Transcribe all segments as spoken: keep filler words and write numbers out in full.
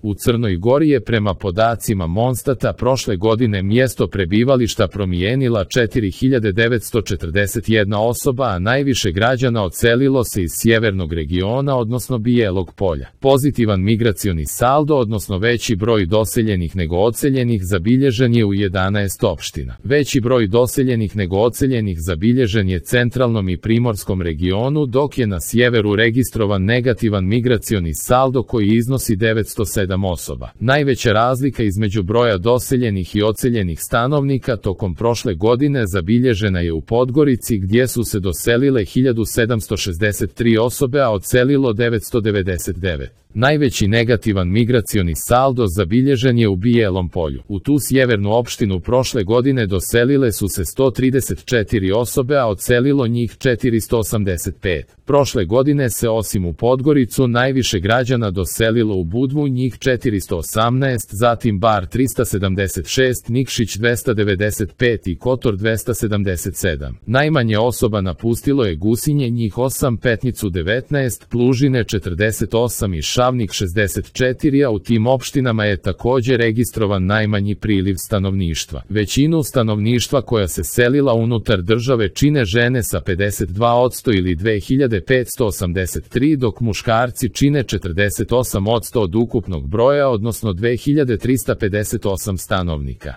U Crnoj Gori je prema podacima Monstata prošle godine mjesto prebivališta promijenila četiri hiljade devetsto četrdeset jedna osoba, a najviše građana odselilo se iz sjevernog regiona, odnosno Bijelog Polja. Pozitivan migracioni saldo, odnosno veći broj doseljenih nego odseljenih, zabilježen je u jedanaest opština. Veći broj doseljenih nego odseljenih zabilježen je centralnom i primorskom regionu, dok je na sjeveru registrovan negativan migracioni saldo koji iznosi devetsto sedam osoba. Najveća razlika između broja doseljenih i odseljenih stanovnika tokom prošle godine zabilježena je u Podgorici, gdje su se doselile hiljadu sedamsto šezdeset tri osobe, a odselilo devetsto devedeset devet. Najveći negativan migracioni saldo zabilježen je u Bijelom Polju. U tu sjevernu opštinu prošle godine doselile su se sto trideset četiri osobe, a odselilo njih četiristo osamdeset pet. Prošle godine se osim u Podgoricu najviše građana doselilo u Budvu, njih četiristo osamnaest, zatim Bar trista sedamdeset šest, Nikšić dvesta devedeset pet i Kotor dvesta sedamdeset sedam. Najmanje osoba napustilo je Gusinje, njih osam, Petnicu devetnaest, Plužine četrdeset osam i Šavnik šezdeset četiri, a u tim opštinama je također registrovan najmanji priliv stanovništva. Većinu stanovništva koja se selila unutar države čine žene sa pedeset dva posto ili dve hiljade petsto osamdeset tri, dok muškarci čine četrdeset osam posto od ukupnog broja, odnosno dve hiljade trista pedeset osam stanovnika.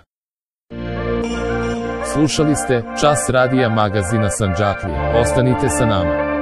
Slušali ste Čas radija magazina Sandžaklija. Ostanite sa nama.